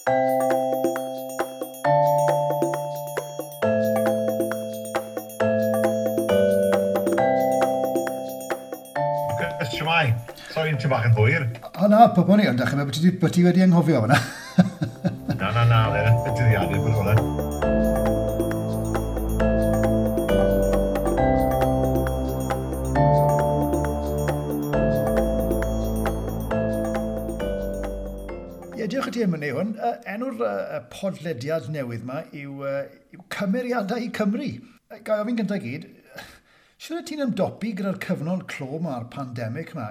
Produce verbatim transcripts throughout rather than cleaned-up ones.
Shwmae? Sori, ti'n bach yn hwyr. O na, pobl ni, ond dechrau bod ti, bod ti wedi anghofio fyna. Na, na, na, y dyddiadau bod hwnna. Ie, diolch i ti am wneud hwn. Uh, enw'r uh, podlediad newydd yma yw, uh, yw Cymeriadau Cymru. Ga i ofyn gyntaf gyd, siwr ti'n ymdopi gyda'r cyfnod clo yma a'r pandemig yma?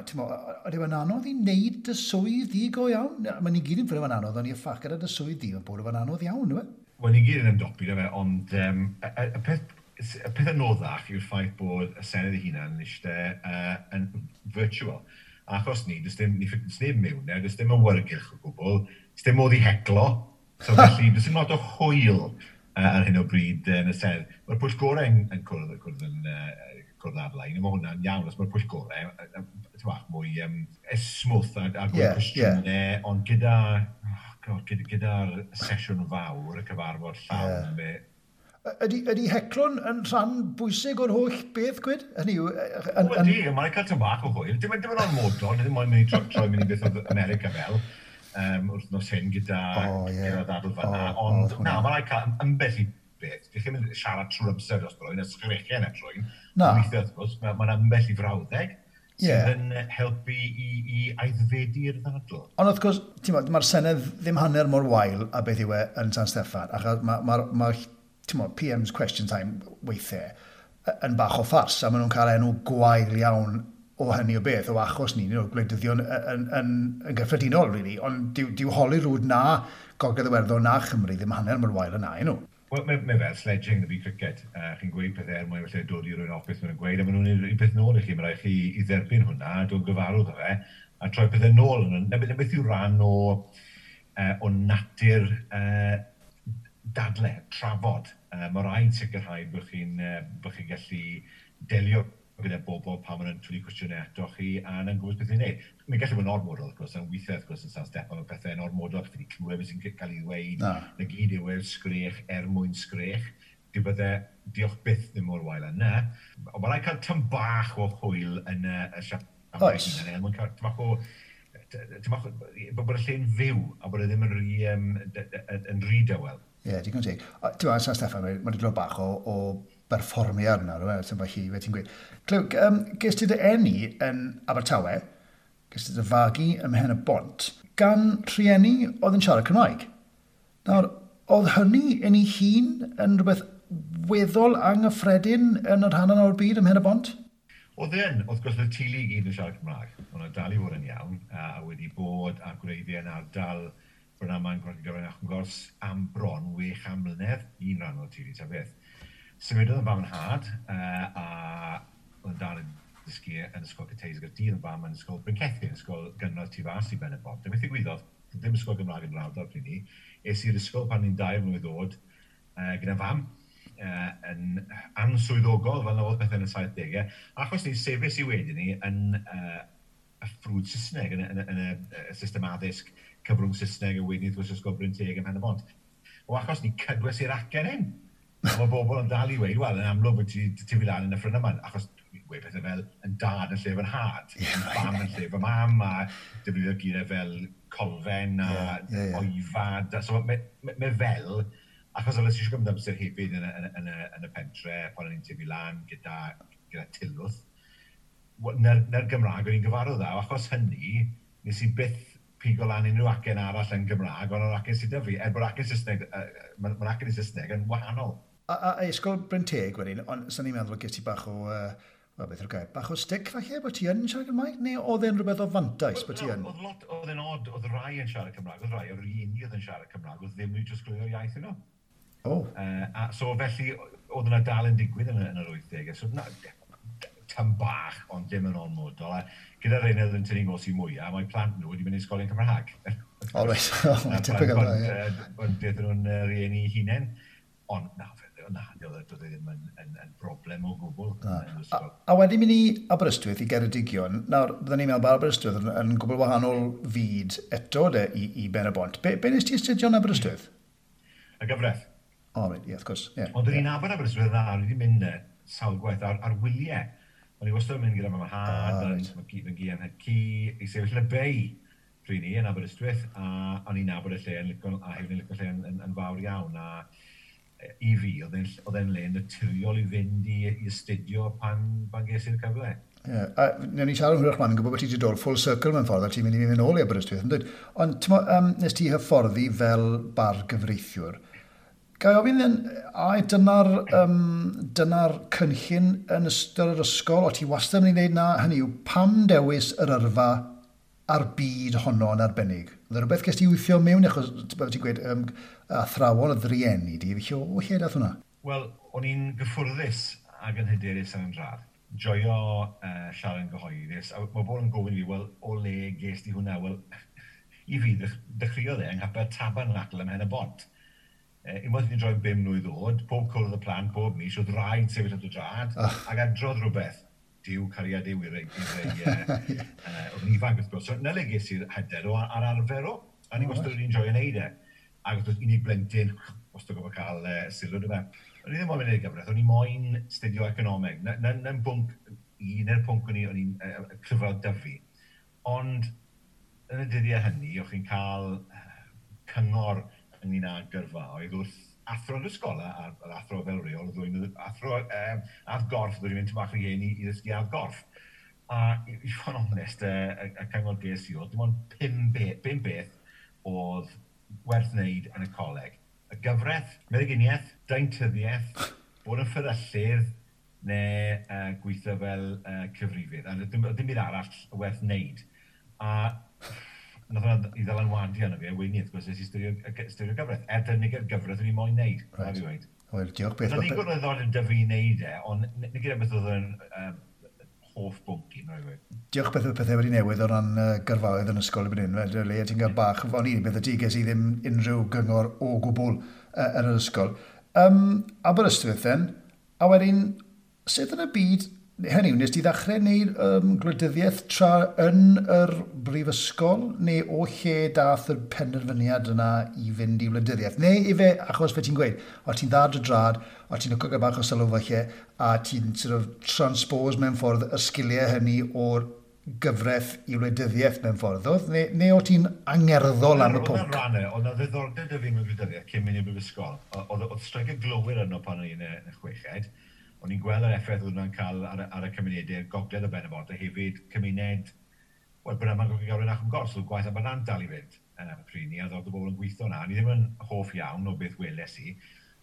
Ydy e'n anodd i wneud dy swydd di go iawn? Mae ni gyd yn ffynu fe'n anodd, ond i'r ffac gyda dy swydd di, mae'n bod e'n anodd iawn, yw e? Wel, ni gyd yn ymdopi, na fe, ond um, y, y, y peth, y peth anoddach yw'r ffaith bod y Senedd ei hunan yn eistedd uh, yn virtual. Achos ni, does dim, ni, does neb mewn e, does dim awyrgylch o gwbl, does dim modd i heclo, so felly does dim lot o hwyl uh, ar hyn o bryd yn y Senedd. Mae'r pwyllgorau yn, yn cwrdd, cwrdd yn uh, cwrdd ar-lein, a mae hwnna'n iawn, os mae'r pwyllgorau uh, bach mwy um, smooth a, a gwneud yeah, cwestiynau, yeah. Ond gyda, oh God, gyda, gyda'r sesiwn fawr, y cyfarfod llawn, yeah. Ydy, ydy heclo'n yn rhan bwysig o'r holl beth, gwyd? Hynny yw... Yn, yn... Ydy, mae'n cael tam bach o hwyl. Dim, dim yn ormodol, ddim moyn mynd i troi, troi mynd i beth oedd America fel, um, wrthnos hyn gyda, oh, yeah. gyda ddadl fan'na. Oh, ond oh, na, mae'n rhaid cael ambell i beth. Dych chi'n mynd siarad trwy'r amser dros rwy'n, a sgrechian at rwy'n. Na. Weithiau, wrth gwrs, mae'n ma ambell i frawddeg sydd yeah. yn helpu i, i aeddfedu'r ddadl. Ond wrth gwrs, ti'n bod, mae'r Senedd ddim hanner mor wael a beth yw e yn San Steffan, achos mae ma, ma, ti'n bod, P M's Question Time weithiau yn bach o ffars, a maen nhw'n cael enw gwael iawn o hynny o beth, o achos ni, nhw, gwleidyddion yn, yn, yn, yn gyffredinol, really, ond dyw, dyw Holyrood na Gogledd Iwerddon na Chymru ddim hanner mor wael yna, nhw. Wel, mae, mae fel sledging na fi cricket. Uh, chi'n gweud pethau er mwyn felly dod i rywun off beth maen nhw'n gweud, a maen nhw'n ei peth nôl i chi. Mae rhaid chi i dderbyn hwnna, dod gyfarwydd o fe, a troi pethau nôl. Na beth yw rhan o, uh, o natur uh, dadle, trafod. Uh, mae rhaid sicrhau bod chi'n uh, bod chi'n gallu delio gyda bobl pan maen nhw'n twlu cwestiynau ato chi a yn gwybod beth i'n neud. Mae'n gallu bod yn ormodol, wrth gwrs, yn weithiau, wrth gwrs, yn San Steffan, mae pethau'n ormodol, chi wedi clywed beth sy'n cael ei ddweud, na gyd yw e sgrech er mwyn sgrech. Dyw bydde, diolch byth ddim mor wael yna. Ond mae'n rhaid cael tam bach o hwyl yn y, y siap. Oes. Mae'n cael tam bach o, tam bach o, bod y lle'n fyw a bod e ddim yn rhy, um, yn rhy dawel. Ie, yeah, digon teg. Ti'n meddwl, San Steffan, mae'n wedi dod bach o, o berfformiad yna, rwy'n sy'n felly, fe ti'n gweud. Clyw, um, ges ti dy eni yn Abertawe, ges ti dy fagu ym Mhen y Bont, gan rhieni oedd yn siarad Cymraeg. Nawr, oedd hynny yn ei hun yn rhywbeth weddol anghyffredin yn yr rhan yna o'r byd ym Mhen y Bont? Oedd e'n, wrth gwrs, oedd y teulu i gyd yn siarad Cymraeg. Oedd nhw'n dal i fod yn iawn, a wedi bod a gwreiddiau yn ardal Brynaman, Gwragedd ac yn gors am bron wech am mlynedd, un rhan o'r teulu ta beth. Symudodd yn fam yn nhad, uh, a oedd yn dal yn dysgu yn ysgol Cathays Gaerdydd, yn fam yn ysgol Bryncethin, ysgol gynradd tu fas i Ben y Bont. A beth ddigwyddodd, ddim ysgol Gymraeg yn yr ardal pryd ni, es i'r ysgol pan ni'n dair mlwydd oed uh, gyda fam, uh, yn answyddogol, fel na oedd pethau yn y saithdegau, achos ni sefys i wedyn ni yn uh, y ffrwd Saesneg, yn y, yn y, yn y, y system addysg cyfrwng Saesneg, a wedyn wrth gwrs ysgol Bryn Teg ym Mhen y Bont. O achos ni cydwes i'r acen hyn. A mae bobl yn dal i weud, wel, yn amlwg bod ti tyfu lan yn y ffryn yma, achos dwi'n gweud pethau fel yn dad yn lle fy nhad, yn fam yn lle fy mam, a defnyddio geiriau fel colfen a yeah, yeah, yeah. oifad. So mae, mae, mae fel, achos oedd eisiau gymryd amser hefyd yn y, yn y, yn y, yn y pentre, pan o'n i'n tyfu lan gyda, gyda tilwth, na'r, na'r Gymraeg o'n i'n gyfarwydd â, achos hynny, nes i byth pigo lan unrhyw acen arall yn Gymraeg, ond o'r acen sydd 'da fi, er bod acen Saesneg, uh, mae'r ma acen i Saesneg yn wahanol. A, a, a ysgol Bryn Teg wedyn, ond sy'n ni'n meddwl ges ti bach o, uh, wel beth yw'r gair, bach o stick falle bod ti yn siarad Cymraeg, neu oedd e'n rhywbeth o fantais bod ti yn? Oedd lot, oedd e'n odd, oedd rai yn siarad Cymraeg, oedd rai o'r rhieni oedd yn siarad Cymraeg, oedd ddim wedi trosglwyddo'r iaith yno. Oh. Uh, a, so felly, oedd yna dal yn digwydd yn, yn yr wythdegau, so na, tam bach, ond dim yn ormodol. A gyda'r rhain oedd yn tynnu ngos i mwyaf, mae plant nhw wedi mynd i ysgolion Cymraeg. O, reit, o, typical, ie. Ond beth nhw'n rieni hunain. Ond na, na, doedd e ddim yn, yn, yn broblem o gwbl. A, a wedyn mynd i Aberystwyth, i Geredigion, nawr, byddwn ni'n meddwl bod Aberystwyth yn, yn gwbl wahanol fyd eto de, i, i Ben y Bont. Be, be nes ti astudio yn Aberystwyth? Y gyfraith. O, oh, right, ie, yeah, of course. Yeah, Ond o'n yeah. i'n nabod Aberystwyth dda, o'n i wedi mynd e sawl gwaith ar, ar wyliau. O'n i wastad yn mynd gyda fy mhad, ah, right. fy gi yn ci, i sefyll yn y bei pryd ni yn Aberystwyth, a o'n i'n nabod y lle yn licio, a hefyd yn licio lle yn, yn, yn fawr iawn, a i fi, oedd e'n le naturiol i fynd i, i astudio pan, pan ges i'r cyfle. Ie, yeah, a newn ni siarad yn hwyrach mlaen, yn gwybod bod ti wedi dod full circle mewn ffordd, a ti'n mynd i fynd nôl i Aberystwyth, yn dweud. Ond ti'n um, nes ti hyfforddi fel bargyfreithiwr. Ga i ofyn then, a dyna'r um, dyna cynllun yn ystod yr ysgol, o ti wastad yn mynd i wneud na, hynny yw, pam dewis yr yrfa a'r byd honno yn arbennig? Oedd e rhywbeth ges ti weithio mewn, achos ti'n gweud, um, athrawon oedd rieni di, felly o lle dath hwnna? Wel, o'n i'n gyffwrddus ac yn hyderus yn radd. Joio uh, siarad yn gyhoeddus, a mae bod yn gofyn i fi, wel, o le ges di hwnna? Wel, i fi, dechreuodd e yng nghapel Tabernacl ym Mhen y Bont. E, unwaith ni'n droi bum mlwydd oed, pob cwrdd y plant, pob mis, oedd rhaid sefyll at y drad, oh. ac adrodd rhywbeth. Duw, cariad yw i rei, i rei, uh, uh, oedd yn ifanc wrth gwrs. So, na le ges i'r hyder o ar arfer o, a ni oh, wastad wedi enjoio wneud e. Ac wrth gwrs, unig blentyn, wastad gofod cael uh, sylw dy fe. O'n i ddim moyn mynd i'r gyfraith, o'n i moyn studio economeg. Na'n na, na bwnc, un o'r pwnc o'n i, o'n i'n uh, cryfod dyfu. Ond yn y dyddiau hynny, o'ch chi'n cael cyngor ynglyn â gyrfaoedd wrth athro yn yr ysgol, a'r athro fel reol, oedd ddwy'n athro um, add gorff, ddwy'n mynd bach rhieni i, i ddysgu add gorff. A i, i fod yn onest, y, y, y cyngor ges i oedd, dim ond pum, be, pum beth oedd werth wneud yn y coleg. Y gyfraith, meddyginiaeth, deintyddiaeth, bod yn fferyllydd, neu uh, gweithio fel uh, cyfrifydd. A dim, dim byd arall werth wneud. A nath hwnna i ddylanwadu arno fi, a wedyn wrth gwrs, nes i styrio, styrio gyfraith. Er dyna gyfraith o'n i moyn wneud. Right. Wel, diolch beth. Nath ddigon o ddiddordeb 'da fi i wneud e, ond nid gyda beth oedd yn um, hoff bwnc i, mae'n rhaid. Diolch beth oedd pethau wedi newid o ran uh, gyrfaoedd yn ysgol erbyn hyn. Fel, le ti'n cael bach, o'n i, beth y ti, ges i ddim unrhyw gyngor o gwbl uh, yn yr ysgol. Um, Aberystwyth then, a wedyn, sut yn y byd, hynny yw, nes ti ddechrau wneud um, gwleidyddiaeth tra yn yr brifysgol, neu o lle dath y penderfyniad yna i fynd i wleidyddiaeth? Neu i fe, achos fe ti'n gweud, o ti'n dda dy drad, o ti'n licio gael bach o sylw falle, a ti'n sort of transpose mewn ffordd y sgiliau hynny o'r gyfraith i wleidyddiaeth mewn ffordd, oedd? Neu, neu o ti'n angerddol am y pwnc? Oedd rhan, oedd na ddiddordeb 'da fi mewn gwleidyddiaeth cyn mynd i'r brifysgol. Oedd, oedd streic y glowyr yno pan o'n i'n y chweched. O'n i'n gweld yr effaith oedd hwnna'n cael ar, ar y cymunedau gogledd o Ben y Bont, a hefyd cymuned, wel, Brynaman Gogledd Ac yn Gors, oedd gwaith Abernant dal i fynd uh, pryd ni, a oedd y bobl yn gweithio na. O'n i ddim yn hoff iawn o beth weles i.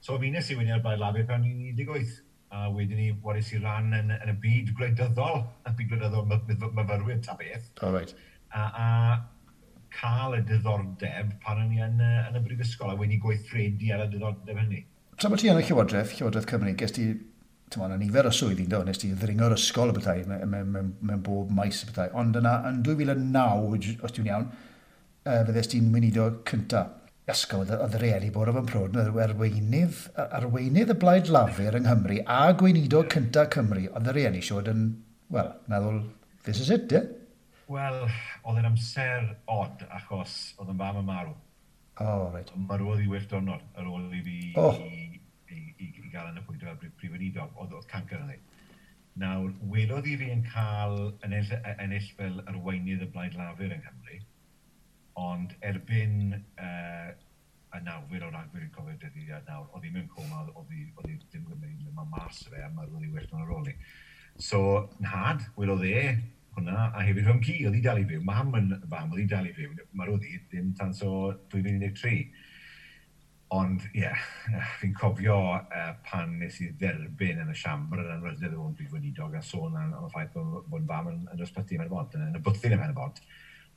So ymunes i wedyn ar Blaid Lafur pan o'n i'n un deg wyth, a wedyn ni wares i ran yn, yn y byd gwleidyddol, y byd gwleidyddol myfyrwyr ta beth. Oh, right. A, a cael y diddordeb pan o'n i yn, yn y brifysgol, a wedyn i gweithredu ar y diddordeb hynny. Tra bod ti yn y Llywodraeth, Llywodraeth Cymru, ges ti ti'n yna nifer o swyddi, do, nes ti ddringo'r ysgol y bethau, mewn, mewn, mewn bob maes y bethau. Ond yna, yn dwy fil a naw, os dwi'n iawn, uh, fyddes ti'n weinidog cynta. Ysgol, oedd y reali bod o'n prod, oedd arweinydd, arweinydd y Blaid Lafur yng Nghymru a gweinidog cynta Cymru, oedd y reali siwr yn, wel, meddwl, this is it, ie? Yeah? Wel, oedd e'n amser od achos oedd yn fam yn marw. Oh, right. Marwodd i wyth diwrnod ar ôl i fi oh. i, i, i, i gael yn y pwynt fel prif weinidog, oedd, oedd cancer yn ei. Nawr, welodd i fi yn cael ennill, ennill fel arweinydd y Blaid Lafur yng Nghymru, ond erbyn uh, y nawfed o Ragfyr, fi'n cofio'r dyddiad nawr, oedd hi mewn coma, oedd hi, oedd hi ddim yn mynd ma mas o fe, a marwodd i wyth diwrnod ar ôl ni. So, nhad, welodd e hwnna, a hefyd fy mham-gu, oedd hi dal i fyw. Mam yn fam, oedd hi dal i fyw. Marwodd hi ddim tan so dwy fil un deg tri. Ond, ie, yeah, fi'n cofio uh, pan nes i dderbyn yn y siambr yn anrhydedd o brif weinidog a sôn am, am y ffaith bod, bod fam yn, yn ysbyty ym Mhen y Bont, yn, yn y bwthyn ym Mhen y Bont,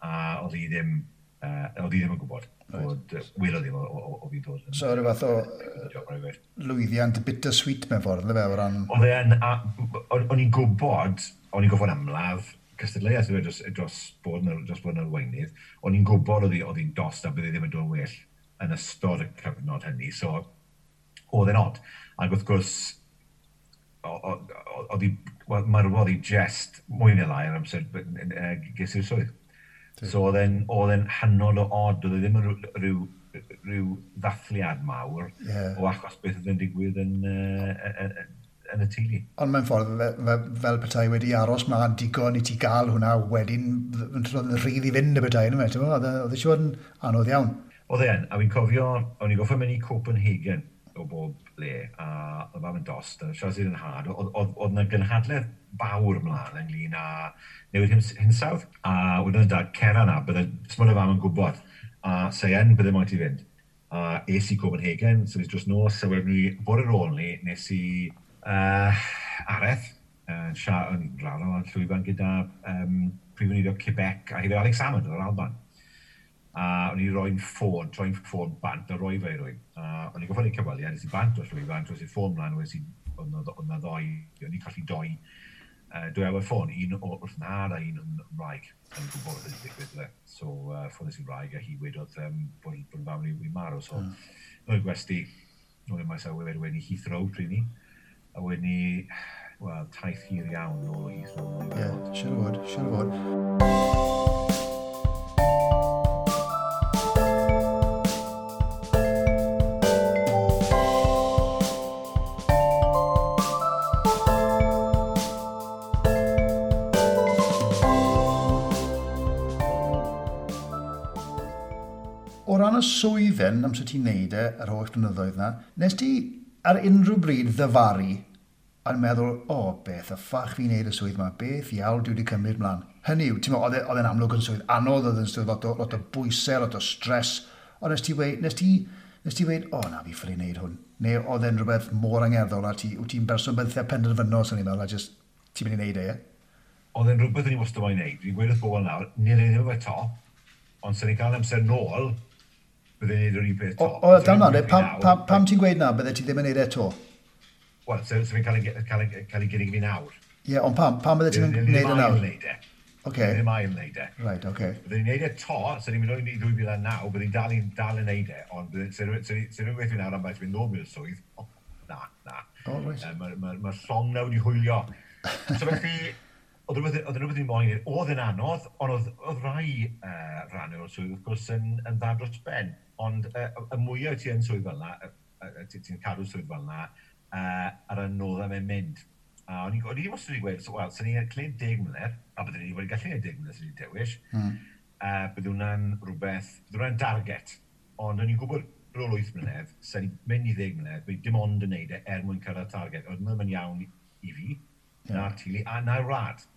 a oedd hi ddim, uh, oedd hi ddim yn gwybod Right. bod, uh, welodd ddim o, o, o, o fi'n dod. So, rhyw fath o lwyddiant bittersweet mewn ffordd, ynddo fe, o ran... Oedd e'n, o'n i'n gwybod, o'n i'n gwybod amlaf cystadleuaeth dros, dros bod yn, dros bod yn arweinydd, o'n i'n gwybod oedd hi'n dost a bydde ddim yn dod yn well yn ystod y cyfnod hynny, so oedd e'n od. Ac wrth gwrs, oedd hi, wel, marwodd hi jest mwy neu lai ar amser ges i'r swydd. So oedd e'n oedd e'n hynod o od, oedd e ddim yn rhyw, rhyw ddathliad mawr yeah. o achos beth oedd yn digwydd yn, uh, yn y teulu. Ond mewn ffordd, fe, fe, fel petai wedi aros mlaen digon i ti gael hwnna wedyn, yn rhydd i fynd y petai, yn Oedd e siŵr yn anodd iawn. Oedd e'n, a fi'n cofio, o'n i'n goffa mynd i Copenhagen o bob le, a oedd fam yn dost, a siarad sydd yn had, oedd yna gynhadledd fawr ymlaen ynglyn â newid hinsawdd, a wedyn yn dad, cera na, bydde, smod y fam yn gwybod, a se en bydde moyn ti fynd. A es i Copenhagen, so dros nos, a wedyn ni, bore ar ôl ni, nes i uh, araith, uh, yn rhan o'r llwyfan gyda um, Prif Weinidog Quebec a hefyd Alex Salmond o'r Alban. A o'n i roi'n ffôn, troi'n ffôn bant a roi fe i rywun. A o'n i'n goffod i cyfweliad, nes i bant o'r llwyfan, troes i'r ffôn mlaen, wnes i, oedd na ddoi, o'n i'n colli doi, uh, dwy awr ffôn, un o wrth nhad a un yn wraig, yn gwybod beth wedi digwydd. Le. So, uh, ffôn i'n wraig a hi wedodd um, bod, bod fam ni wedi marw. So, mm. nôl i'r gwesty, nôl i'r maes awyr, wedyn i Heathrow pryd ni, a wedyn ni, wel, taith hir iawn nôl o Heathrow. Ie, yeah, siŵr o fod, siŵr o fod. O ran y swydd then, amser ti'n neud e, yr holl blynyddoedd na, nes ti ar unrhyw bryd ddyfaru a'n meddwl, o, oh, beth y ffach fi'n neud y swydd yma, beth iawn dwi wedi cymryd mlaen. Hynny yw, ti'n meddwl, oedd e'n amlwg yn swydd anodd, oedd e'n swydd lot o, lot o bwysau, lot o stres, ond nes ti weud, nes ti, nes ti weud, o oh, na, fi ffili neud hwn. Neu oedd e'n rhywbeth mor angerddol a ti, wyt ti'n berson benthyg penderfynol, sy'n ni'n meddwl, a just, ti'n mynd i neud e, ie? Oedd e'n rhywbeth o'n i wastad moyn neud. Fi'n gweud wrth bobl nawr, ni'n ei ddim efo to, ond sy'n ni'n cael amser nôl, byddai'n neud yr un peth to. O, o dal nawr, pam, pam, pam ti'n gweud na, bydde ti ddim yn neud e to? Wel, so, so fi'n cael ei, cael ei, cael ei gynnig fi nawr. Ie, yeah, ond pam, pam bydde ti'n neud e nawr? Ddim e. Okay. Ddim ail wneud e. Right, okay. Byddai'n neud e to, so ni'n mynd i dwy fil a naw, byddai'n dal, dal yn neud e, ond sy'n rhywun gweithio nawr am beth fynd nôl mewn swydd, oh, na, na. Oh, right. Mae'r ma, ma, ma llong nawr wedi hwylio. So felly, oedd rhywbeth, oedd rhywbeth i'n moyn, oedd yn anodd, ond oedd, oedd rai uh, rhannau o'r swydd, wrth gwrs, yn, yn dda dros ben. Ond uh, y mwyaf ti yn swydd fel yna, uh, ti'n cadw swydd fel yna, uh, ar y noddau mae'n mynd. A o'n i, o'n i wastad wedi gweud, so, wel, sy'n ni'n cled deg mlynedd, a byddwn ni wedi gallu gwneud deg mlynedd sy'n ni'n dewis, mm. uh, bydd hwnna'n rhywbeth, bydd hwnna'n target. Ond o'n i'n gwybod ar ôl wyth mlynedd, sy'n ni'n mynd i ddeg mlynedd, bydd dim ond yn neud e er mwyn cyrraedd target. Oedd hwnna'n iawn i fi, yeah. na'r teulu, a na'r wlad.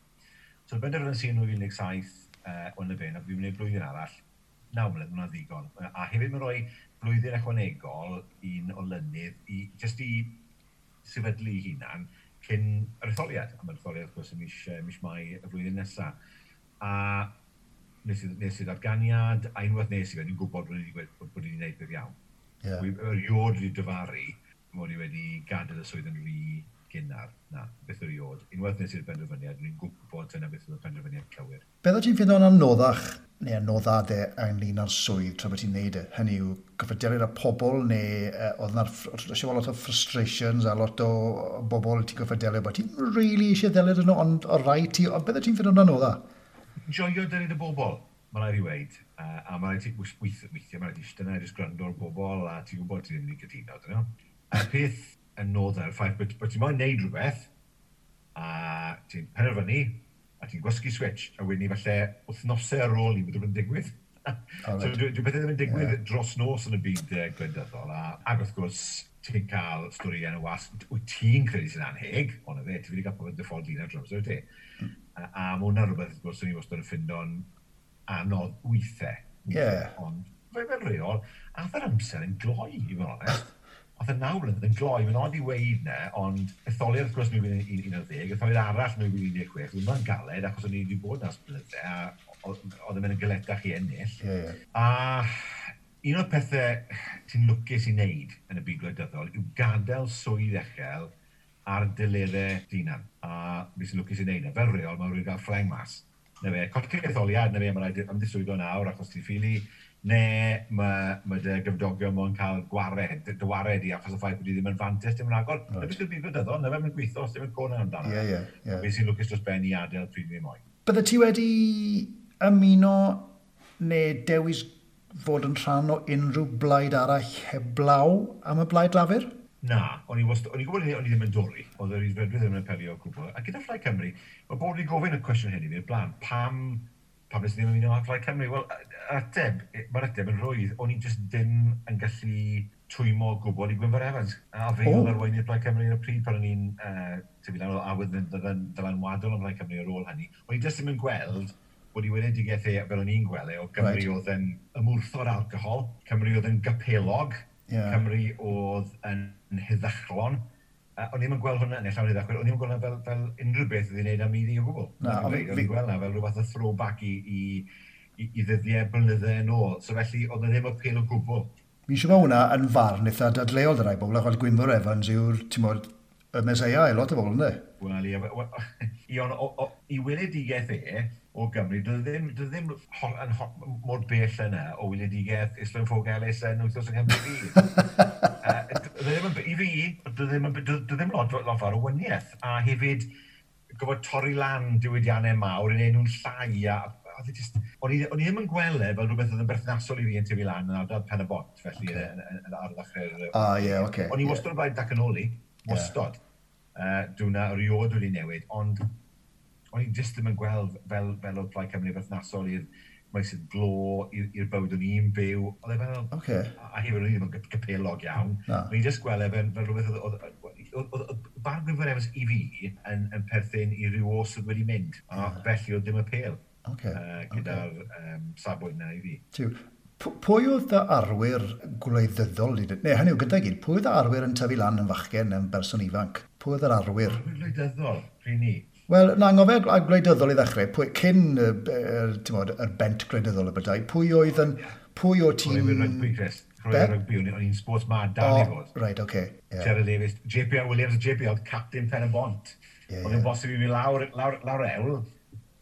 So benderfynes i yn dwy fil un deg saith uh, o'n y ben, a fi'n gwneud blwyddyn arall, naw mlynedd, hwnna'n ddigon. A hefyd mae'n rhoi blwyddyn ychwanegol un olynydd i, jyst i sefydlu ei hunan cyn yr etholiad. A mae'r etholiad, wrth gwrs, yn mis, mis Mai y flwyddyn nesaf. A nes i, nes i ddatganiad, a unwaith nes i fe, ni'n gwybod bod ni wedi bod, bod ni wedi gwneud beth iawn. Yeah. Erioed wedi dyfaru mod i wedi gadael y swydd yn rhy gynnar. Na, beth erioed. Unwaith nes i'r benderfyniad, ni'n gwybod dyna beth oedd y penderfyniad cywir. Beth oedd ti'n ffeindo'n anoddach neu anoddade ynglyn â'r swydd tra bod ti'n neud e? Hynny yw, gorfod delio â pobl neu uh, oedd yna lot o frustrations a lot o bobl ti'n gorfod delio bod ti'n really eisiau delio â nhw, ond o rai ti, ond beth oedd ti'n ffeindo'n anoddach? Joio delio â bobl, mae rhaid i weid. Uh, a mae rhaid ti, weithio, weithio, mae rhaid ti eistedd yna, jyst gwrando ar bobl, a ti'n gwybod ti ddim wedi cytuno, dyn nhw. Y peth yn nodda'r ffaith bod, bod ti'n moyn neud rhywbeth, a ti'n penderfynu, a ti'n gwasgu switch, a wedyn ni falle wythnosau ar ôl ni bod rhywbeth yn digwydd. Oh, right. So dwi, dwi bethau ddim yn digwydd yeah. dros nos yn y byd uh, gwleidyddol, a, ac wrth gwrs ti'n cael stori yn y wasg, wyt ti'n credu sy'n anheg, ond fe, ti wedi cael pobl dy ffordd un ar drws, wyt ti? Mm. A, a mae hwnna'n rhywbeth, wrth gwrs, o'n i wastad yn ffindo'n anodd weithiau. Yeah. Ond fe fel reol, ath yr amser yn gloi, i fod yn onest. Oedd y naw mlynedd yn gloi, mae'n od i weud ne, ond etholiad wrth gwrs nwy fil un ar ddeg, etholiad arall nwy fil un deg chwech, oedd hwnna'n galed achos o'n i wedi bod nas blynydde, a oedd yn mynd yn galetach i ennill. Yeah, yeah. A un o'r pethau ti'n lwcus i wneud yn y byd gwleidyddol yw gadael swydd uchel ar delerau hunan. A fi sy'n lwcus i wneud na. Fel reol, mae rhywun gael ffleng mas. Na fe, colli etholiad, na fe, mae rhaid ymddiswyddo nawr achos ti'n ffili Ne mae, mae dy gymdogion mo'n cael gwared, dy wared i achos y ffaith bod i ddim yn fantes dim yn agor. Right. Na beth yw'r byd gwleidyddol, na fe mae'n gweithio os dim yn côn amdano. Ie, ie, ie. Fe sy'n lwcus dros ben i adael pryd ni moyn. Bydde ti wedi ymuno neu dewis fod yn rhan o unrhyw blaid arall heblaw am y Blaid Lafur? Na, o'n i wast, o'n i'n gwybod o'n i ddim yn dori, oedd yr Rhyddfrydwyr ddim yn apelio o gwbl. A gyda Phlaid Cymru, mae bod wedi gofyn y cwestiwn hyn i fi o'r blaen, pam, pam nes i ddim ymuno â Phlaid Cymru? Wel, ateb, mae'r ateb yn rhwydd, o'n i jyst ddim yn gallu twymo o gwbl i Gwynfor Evans. A fe oedd arweinydd Plaid Cymru ar y pryd pan o'n i'n uh, tyfu lan, oedd awydd yn ddylanwadol am Plaid Cymru ar ôl hynny. O'n i jyst ddim yn gweld bod i weledigaeth e, fel o'n i'n gweld e, o Gymru right. oedd yn ymwrthod alcohol, Cymru oedd yn gapelog, yeah. Cymru oedd yn heddychlon. Uh, o'n i'm yn gweld hwnna, neu llawn heddychlon, o'n i'm yn gweld hwnna fel, fel unrhyw beth oedd i'n neud am iddi o gwbl. Na, o'n i'n gweld hwnna fel rhywbeth o throwback i, i, i, i ddyddiau blynydde yn ôl. So felly, oedd ddim o apêl o gwbl. Fi'n siŵr bod hwnna yn farn eitha dadleuol dy rai bobl, achos Gwynfor Evans yw'r, ti'n modd, y meseia i lot o bobl, ynddo? Wel, ie, i, on, o, o, i weledigaeth e o Gymru, doedd ddim, doedd ddim ho, yn ho, mor bell yna o weledigaeth Islwyn Ffowc Elis yn Wythnos yng Nghymru fi. uh, ddim yn, I fi, doedd ddim, doedd ddim lot, lot fawr o waniaeth. A hefyd, gofod torri lan diwydiannau mawr yn enw'n llai a oedd e just, o'n i, o'n i ddim yn gweld e fel rhywbeth oedd yn berthnasol i fi yn tyfu lan yn ardal Pen y Bont, felly okay. yn, yn, yn, ar ddechrau'r... Ah, ie, yeah, oce. Okay, o'n i wastad yn blaid datganoli, wastad. Yeah. Uh, Dwi'n erioed wedi newid, ond o'n i jyst ddim yn gweld fel, fel oedd Plaid Cymru berthnasol i'r maesydd glo, i'r bywyd o'n i'n byw. Oedd e fel... Okay. A hefyd o'n i ddim yn gapelog iawn. O'n i jyst gweld e fel, fel rhywbeth oedd... Oedd barn Gwynfor Evans i fi yn, yn perthyn i ryw oes oedd wedi mynd. A yeah. felly oedd ddim apêl. Okay. Uh, gyda'r okay. um, safbwynt na i fi. Tiw, pwy oedd dy arwyr gwleidyddol? Neu hynny yw, gyda gyd, pwy oedd dy arwyr yn tyfu lan yn fachgen yn berson ifanc? Pwy oedd yr arwyr? Arwyr gwleidyddol, pryd ni? Wel, na, angofio gwleidyddol i ddechrau, pwy, cyn y, y, yr bent gwleidyddol y bydau, pwy oedd yn, pwy o ti'n... Chwaraewyr rygbi, Chris. Chwaraewyr rygbi, o'n i'n sports mad dal i fod. Right, oce. Okay, yeah. Gerald Davies, J P R Williams, J P R oedd captain Pen y Bont. Yeah, oedd yn yeah. bosib i fi lawr, lawr, lawr ewl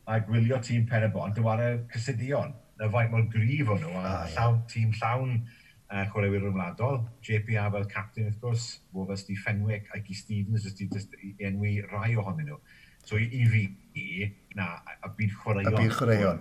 a gwylio tîm Pen y Bont yn chwarae Cysidion. Na faint mor gryf o'n nhw, a ah, llawn, tîm llawn uh, chwaraewyr rhyngwladol. J P R fel captain, wrth gwrs, fo fel Steve Fenwick, Ike Stevens, jyst i, jyst i enwi rai ohonyn nhw. So i, i fi, na, a byd chwaraeon. A byd chwaraeon.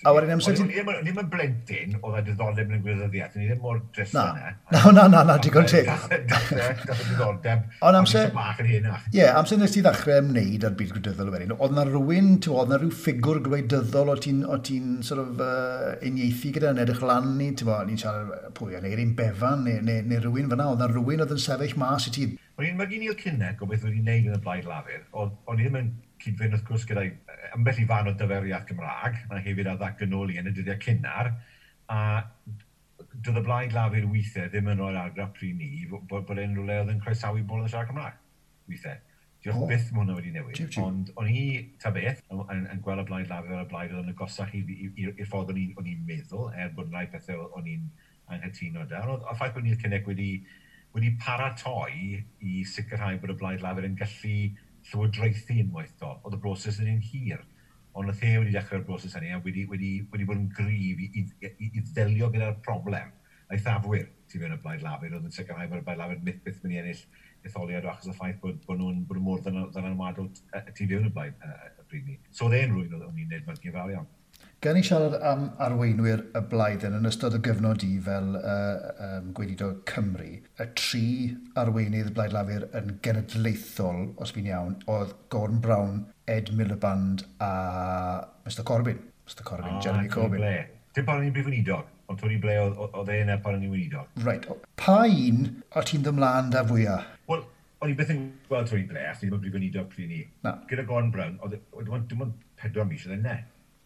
A wedyn amser... O'n i ddim yn blentyn oedd â diddordeb yn y gwleidyddiaeth, o'n i ddim mor drist yna. Na, na, na, na, digon teg. Dath y diddordeb. Ond amser... Bach yn henach. Ie, amser nes ti ddechrau ymwneud â'r byd gwleidyddol wedyn, oedd na rhywun, oedd na rhyw ffigwr gwleidyddol o ti'n ti sort of uh, uniaethu gyda yn edrych lan ni, ti'n bod, ni'n siarad pwy, neu un Bevan, neu, neu, neu rhywun fyna, oedd na rhywun oedd yn sefyll mas i ti. O'n i'n mygu Neil Kinnock o beth wedi wneud yn y Blaid Lafur, o'n i ddim yn cyd-fynd wrth gwrs gyda'i ambell i fan o dyferiaeth Gymraeg, a hefyd ar ddatganoli yn y dyddiau cynnar, a doedd y Blaid Lafur weithiau ddim yn rhoi'r argraff pryd ni bod, bod e'n rhywle oedd yn croesawu bobl yn siarad Cymraeg weithiau. Diolch oh. byth mae hwnna wedi newid. Jiw, jiw. Ond o'n i, ta beth, yn, yn, yn gweld y Blaid Lafur y blaid oedd yn agosach i'r ffordd o'n i'n meddwl, er bod yn rhai pethau o'n i'n anghytuno da. Ond y ffaith bod Neil Kinnock wedi, wedi paratoi i sicrhau bod y Blaid Lafur yn gallu llywodraethu unwaith do. Oedd y broses yn un hir. Ond oedd e wedi dechrau'r broses hynny a wedi, wedi, wedi bod yn gryf i, i, i, i ddelio gyda'r problem. Eithafwyr tu fewn y Blaid Lafur oedd yn sicrhau bod y Blaid Lafur byth byth mynd i ennill etholiad o achos y ffaith bod, bod nhw'n bod nhw mor ddylanwadol tu fewn y blaid y pryd ni. So oedd e'n rhywun oedd o'n i'n edmygu fawr iawn. Gan i siarad am arweinwyr y blaid yn ystod y gyfnod i fel uh, um, gweinidog Cymru, y tri arweinydd y Blaid Lafur yn genedlaethol, os fi'n iawn, oedd Gordon Brown, Ed Miliband a Mister Corbyn. Mister Corbyn, ah, Jeremy Corbyn. Blair. Dim pan o'n i'n brif weinidog, ond Tony Blair oedd e yna pan o'n i'n weinidog. Right. Pa un o ti'n ymlaen da fwyaf? Wel, o'n i byth yn gweld Tony Blair, achos ddim yn brif weinidog pryd ni. Na. Gyda Gordon Brown, oedd dim ond pedwar mis oedd e ne.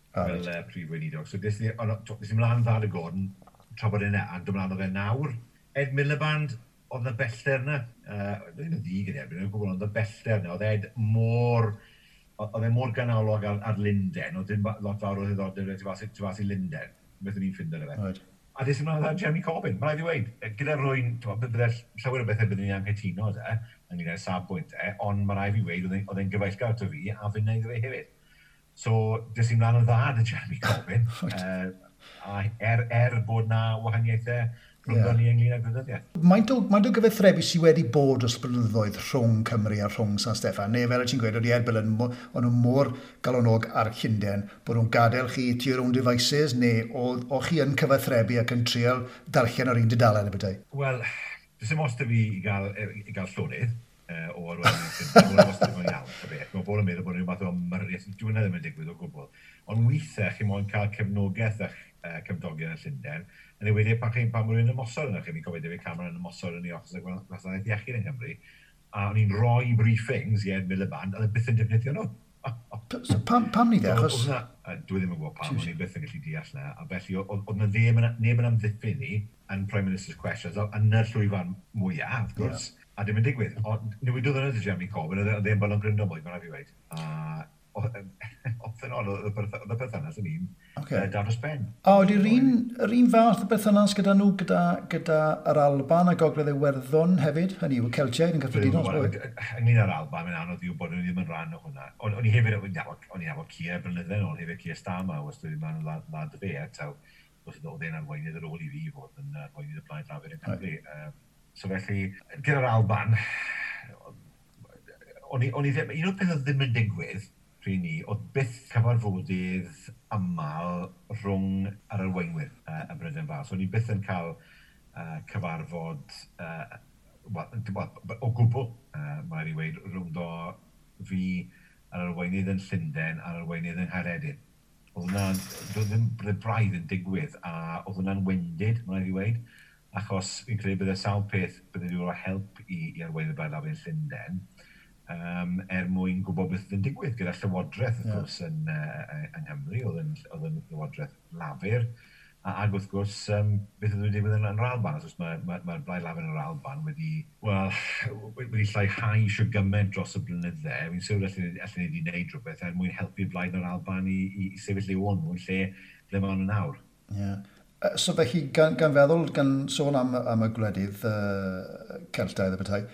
Ah, fel right. uh, prif weinidog. So des i, on, des i mlaen dda dy Gordon, tra bod e a dod mlaen oedd e nawr. Ed Miliband, oedd na bellter yna. Uh, ddim yn ddig yn erbyn, yn gwybod, ond y bellter yna. Oedd Ed mor, oedd e mor ganolog ar, ar Lunden, oedd dim lot fawr o ddiddordeb tu fas, tu fas i Lunden, beth o'n i'n ffindo fe. Right. A des i mlaen dda Jeremy Corbyn, mae rhaid i weud, gyda rwy'n, bydde llawer o bethau byddwn ni'n anghytuno de, ynglyn â'r safbwynt e, ond mae rhaid i weud, oedd e'n gyfeillgar ato fi, a fi'n neud fe hefyd. So, des i mlaen yn dda dy Jeremy Corbyn. uh, A er, er bod na wahaniaethau rhwngddo ni ynglyn â gwleidyddiaeth. Maint o, maint o gyfathrebu sydd wedi bod dros blynyddoedd rhwng Cymru a rhwng San Steffan? Neu fel y ti'n gweud, oedd Ed Miliband, o'n nhw mor galonog ar Llundain bod nhw'n gadael chi to your own devices, neu o, o chi yn cyfathrebu ac yn trial darllen o'r un dudalen y bethau? Wel, does dim ots 'da fi i gael, i gael llonydd uh, o arweinydd Llundain. Mae'n wastad yn iawn, y beth. Mae bobl yn meddwl bod rhyw fath o ymyrraeth. Dyw hwnna ddim yn digwydd o gwbl. Ond weithiau chi moyn cael cefnogaeth eich uh, cymdogion yn Llundain, yn enwedig pan chi'n pan mae rhywun yn ymosod yna chi, fi'n cofio David Cameron yn ymosod yn ei achos y gwasanaeth iechyd yng Nghymru, a o'n i'n rhoi briefings i Ed Miliband, a oedd e byth yn defnyddio nhw. So, pam, pam ni de? Achos... Dwi ddim yn gwybod pam, o'n i byth yn gallu deall na. A felly, oedd na ddim yn, neb yn amddiffyn ni yn Prime Minister's Questions, yn y llwyfan mwyaf, wrth gwrs, yeah. a dim yn digwydd. Ond newidodd yna Jeremy Corbyn, oedd e ddim yn gryndo mwy, mae'n rhaid fi weud. A oedd yn oedd y perthynas yn un okay. da dros ben. A oedd yr un, yr un fath o berthynas gyda nhw gyda, gyda yr Alban a Gogledd Iwerddon hefyd? Hynny yw, y Celtiaid yn gyffredinol? Ynglyn â'r Alban, mae'n anodd i wybod, o'n i ddim yn rhan o hwnna. O'n i hefyd, o'n i'n nabod Keir blynydde nôl, hefyd Keir Starmer, wastad wedi mynd lad y fe, taw, oedd e'n arweinydd ar ôl i fi fod yn arweinydd y Blaid Lafur yn Cymru. Right. So felly, gyda'r Alban, o'n i, o'n i ddim, un o'r pethau ddim yn digwydd pryd ni, oedd byth cyfarfodydd aml rhwng yr arweinwyr uh, y Brydain Fawr. So o'n i byth yn cael uh, cyfarfod uh, well, o gwbl, uh, mae'n i weud, rhwngdo fi a'r arweinydd yn Llundain a'r arweinydd yng Nghaeredin. Oedd hwnna'n, doedd ddim braidd yn digwydd, a oedd hwnna'n wendid, mae'n i weud, achos fi'n credu bydde sawl peth bydde wedi rhoi help i, i arweinydd y Blaid Lafur yn Llundain, um, er mwyn gwybod beth yn digwydd gyda Llywodraeth, wrth gwrs, yeah. yn, uh, yng Nghymru, oedd yn, oedd yn Llywodraeth Lafur, a, ac wrth gwrs, um, beth oedd yn digwydd yn, yn yr Alban, wrth gwrs, mae'r mae, mae Blaid Lafur yn yr Alban wedi, wel, wedi lleihau shwd gymaint dros y blynydde. Fi'n siŵr allan ni wedi gwneud rhywbeth er mwyn helpu Blaid yn yr Alban i, i, i sefyll i o'n nhw yn lle ble maen nhw nawr. Yeah. So felly, gan, gan feddwl, gan sôn am, am y gwledydd uh, Celtaidd y bethau,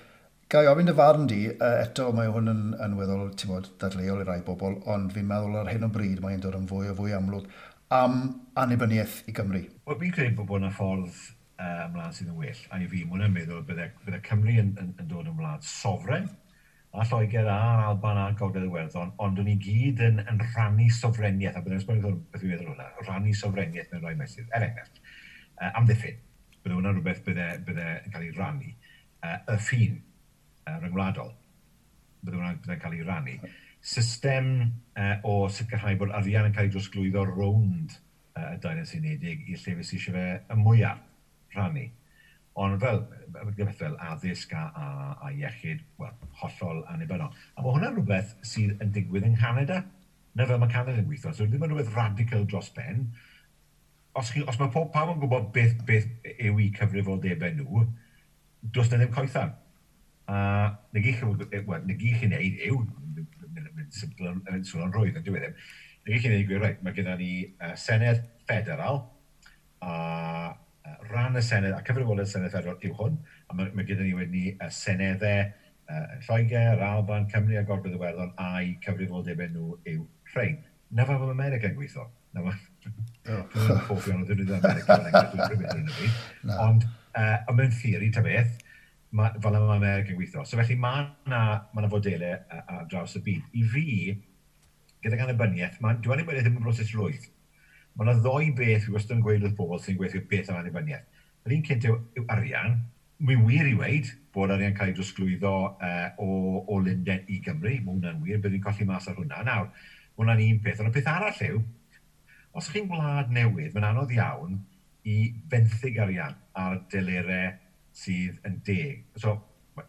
ga i ofyn dy farn di, eto mae hwn yn, yn weddol, ti'n bod, dadleuol i rai bobl, ond fi'n meddwl ar hyn o bryd mae'n dod yn fwy o fwy amlwg am annibyniaeth i Gymru. Wel, fi'n credu bod bod yna ffordd uh, ymlaen sydd yn well, a i fi, mwyn yn meddwl bydde, bydde Cymru yn, yn, yn dod yn wlad sofren, a Lloegr a'r Alban a Gogledd Iwerddon, ond o'n i gyd yn, yn rhannu sofreniaeth, a byddai'n esbonio beth fi'n meddwl hwnna, rhannu sofreniaeth mewn rhai meysydd. Er enghraifft, uh, amddiffyn, bydde hwnna'n rhywbeth bydde, bydde yn cael ei rannu. Uh, y ffin uh, ryngwladol, bydde hwnna'n bydde'n cael ei rannu. System uh, o sicrhau bod arian yn cael ei drosglwyddo rownd uh, y Deyrnas Unedig i'r llefydd sydd eisiau fe y mwyaf rhannu. Ond fel, beth fel addysg a, a, a iechyd, wel, hollol annibynnol. A mae hwnna'n rhywbeth sydd yn digwydd yng Nghanada. Na fel mae Canada yn gweithio. So ddim yn rhywbeth radical dros ben. Os, chi, os mae pob pawb yn gwybod beth, beth yw eu cyfrifoldebau nhw, does na ddim coethan. A na gyd chi, wel, na gyd chi'n neud yw, mynd swnio'n rwydd, yn dyw e ddim, na gyd chi'n neud yw, reit, mae gyda ni uh, Senedd Federal, a rhan y Senedd, a cyfrifoldeb y Senedd Federal yw hwn, a mae, mae gyda ni wedyn ni uh, seneddau uh, Lloegr, Alban, Cymru a Gogledd Iwerddon, a'i cyfrifoldebau nhw yw rhain. Na fel mae America yn gweithio. Na fel, dwi'n hoffi ond dwi'n dweud America, dwi'n rhywbeth yn y byd. Ond, uh, mewn theori, ta beth, ma, fel yma mae America yn gweithio. So felly mae yna ma fodelau ar draws y byd. I fi, gydag annibyniaeth, ma, dyw annibyniaeth ddim yn broses rwydd. Mae yna ddoi beth fi wastad yn gweud wrth bobl sy'n gweithio beth am annibyniaeth. Yr un cynt yw, yw arian. Mae'n wir i weud bod arian cael ei drosglwyddo uh, o, o Lundain i Gymru. Mae hwnna'n wir, byddwn ni'n colli mas ar hwnna. Nawr, mae hwnna'n un peth. Ond y peth arall yw, os chi'n wlad newydd, mae'n anodd iawn i fenthyg arian ar delerau sydd yn deg. So,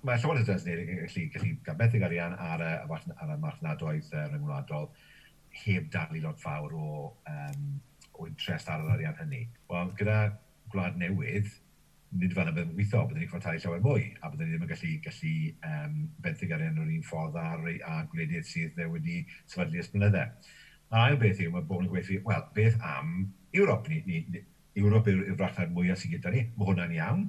mae Llywodraeth y Deyrnas Unedig yn gallu, gallu gael benthyg arian ar y, ar y marchnadoedd ryngwladol heb dalu lot fawr o, um, o interest ar yr arian hynny. Wel, gyda gwlad newydd, nid fel y byddwn yn gweithio, byddwn ni'n gorfod talu llawer mwy, a byddwn ni ddim yn gallu, gallu um, benthyg arian o'r un ffordd ar, a gwledydd sydd wedi sefydlu ers blynydde. A'r ail beth yw, mae bobl yn gweithio, wel, beth am Ewrop? Ni, ni, ni, Ewrop yw'r yw farchnad mwyaf sydd gyda ni, mae hwnna'n iawn.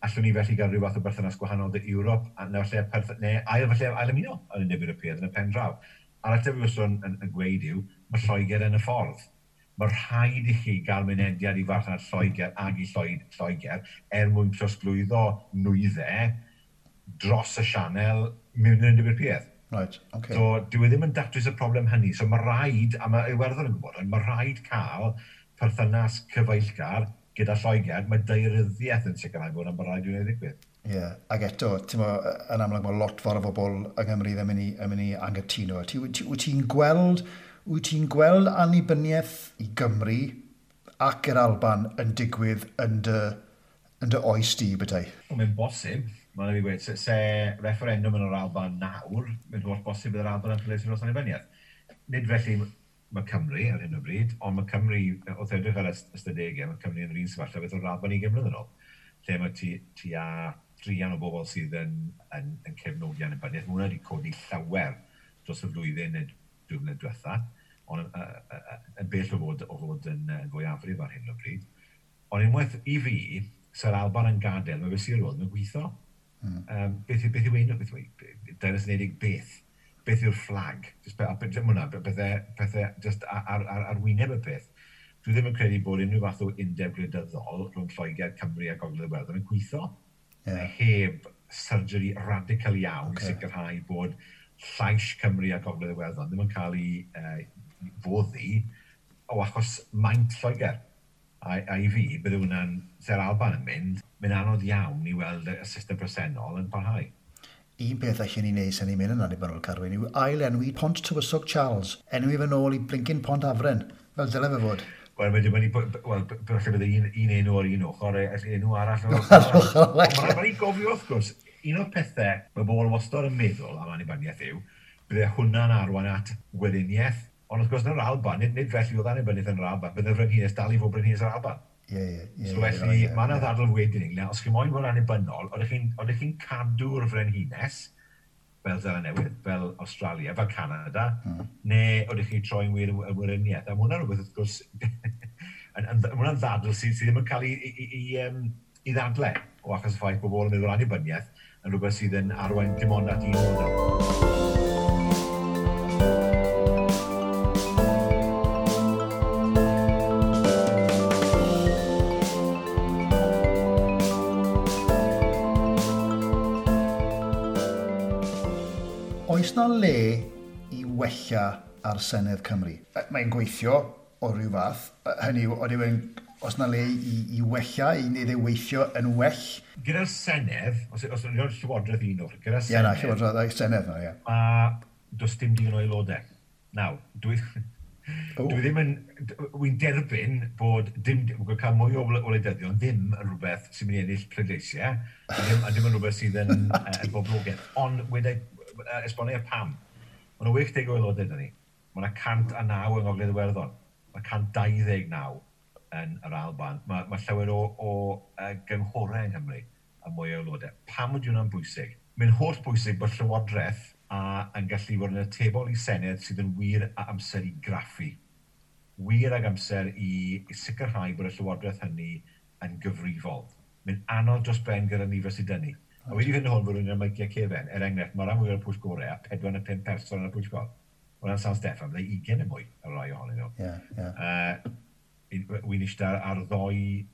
Allwn ni felly gael rhyw fath o berthynas gwahanol â Ewrop, a neu falle, perth, neu ail, falle ail ymuno yn Undeb Ewropeaidd yn y pen draw. A'r ateb fi wastad yn, yn, yn gweud yw, mae Lloegr yn y ffordd. Mae rhaid i chi gael mynediad i farchnad Lloegr ag i Lloegr er mwyn trosglwyddo nwyddau dros y sianel mewn i'r Undeb Ewropeaidd. Right, okay. So, dyw e ddim yn datrys y problem hynny. So mae rhaid, a mae Iwerddon yn gwybod, mae rhaid cael perthynas cyfeillgar gyda Lloegr. Mae daearyddiaeth yn sicrhau bod yn rhaid i wneud ddigwydd. Ie, yeah, ac eto, ti'n mo, yn amlwg mae lot fawr o bobl yng Nghymru ddim yn mynd i, yn mynd i anghytuno. Ti, ti, wyt ti'n gweld, wyt ti'n gweld annibyniaeth i Gymru ac i'r Alban yn digwydd yn dy, yn dy oes di, bethau? Mae'n bosib. Mae'n rhaid i gweud, se, se referendum yn yr Alban nawr, mae'n holl bosib bydd yr Alban yn pleidleisio dros annibyniaeth. Nid felly mae Cymru ar hyn o bryd, ond mae Cymru, wrth edrych ar ystadegau, mae Cymru yn yr un sefyllfa beth o'r Alban ugain mlynedd yn ôl, lle mae ti, ti a druan o bobl sydd yn, yn, yn cefnogi annibyniaeth. Mae hwnna wedi codi llawer dros y flwyddyn neu dwy flynedd diwetha, ond uh, uh, uh, yn bell o fod, o fod yn, yn fwyafrif ar hyn o bryd. Ond unwaith i fi, se'r Alban yn gadael, mae fe sir roedd yn gweithio. Mm. Um, beth, beth yw enw, beth yw Deyrnas Unedig beth? Beth yw'r fflag? Just, pe, hwnna, pethau, pethau just ar, ar, ar, ar wyneb y peth. Dwi ddim yn credu bod unrhyw fath o undeb gwleidyddol rhwng Lloegr, Cymru a Gogledd Iwerddon yn gweithio. Yeah. Heb surgery radical iawn okay. i sicrhau bod llais Cymru a Gogledd Iwerddon ddim yn cael ei uh, foddi o achos maint Lloegr. A, a i fi, bydde hwnna'n, se'r Alban yn mynd, mae'n anodd iawn i weld y system presennol yn parhau. Un peth allan ni wneud sy'n ni'n mynd yn annibynnol, Carwyn, yw ail-enwi Pont Tywysog Charles. Enwi fe nôl i blincyn Pont Afren, fel dyle fe fod. Wel, mae dim wel, falle bydde un, un enw ar un ochr, enw arall o'r ochr. Mae'n rhaid i gofio, wrth gwrs, un o'r pethau mae bobl wastad yn meddwl am annibyniaeth yw, bydde hwnna'n arwain at weriniaeth. Ond wrth gwrs, yn yr Alban, nid, nid felly oedd annibyniaeth yn yr Alban, bydde frenhines dal i fod brenhines yr Alban. Ie, ie, ie. So felly, yeah, mae yna ddadl wedyn ynglyn, os chi moyn fod annibynnol, oeddech chi'n oeddech chi'n cadw'r frenhines, fel Seland Newydd, fel Australia, fel Canada, mm. neu oeddech chi'n troi'n wir y weriniaeth. A mae hwnna'n rhywbeth, wrth gwrs, mae hwnna'n ddadl sydd, sydd ddim yn cael ei, i, i, i, um, i ddadle o achos y ffaith bod bobl yn meddwl annibyniaeth yn rhywbeth sydd yn arwain dim ond at un model. Oes na le i wella ar Senedd Cymru? Mae'n gweithio o ryw fath. Hynny yw, oeddi e'n, oes na le i, i wella, i wneud ei weithio yn well? Gyda'r Senedd, os, os yw'n Llywodraeth un o'r, gyda'r Senedd... Ie, na, Llywodraeth, Senedd na, ie. Ma, does dim digon o aelodau. Nawr, dwi, oh. dwi ddim yn... Wy'n derbyn bod dim, bod cael mwy o wleidyddion ddim yn rhywbeth sy'n mynd i ennill pleidleisiau, a ddim, a ddim yn rhywbeth sydd yn, yn boblogaidd. Ond wedi esbonio pam. Mae yna wyth deg o aelodau 'da ni. Mae yna cant a naw yng Ngogledd Iwerddon. Mae cant dau ddeg naw yn yr Alban. Mae, mae llawer o, o uh, gynghorau yng Nghymru a mwy o aelodau. Pam ydy hwnna'n bwysig? Mae'n holl bwysig bod Llywodraeth a, yn gallu bod yn atebol i Senedd sydd yn wir a amser i graffu. Wir ag amser i, i sicrhau bod y Llywodraeth hynny yn gyfrifol. Mae'n anodd dros ben gyda nifer sydd 'da ni. A wedi fynd hwn fod rhywun yn meicio cefen, er enghraifft, mae rhan fwyaf o'r pwyllgorau a pedwar neu pump person yn y pwyllgor. Wel, San Steffan, byddai ugain neu mwy ar rai ohonyn nhw. Yeah, yeah. Uh, Wy'n eistedd ar ddoi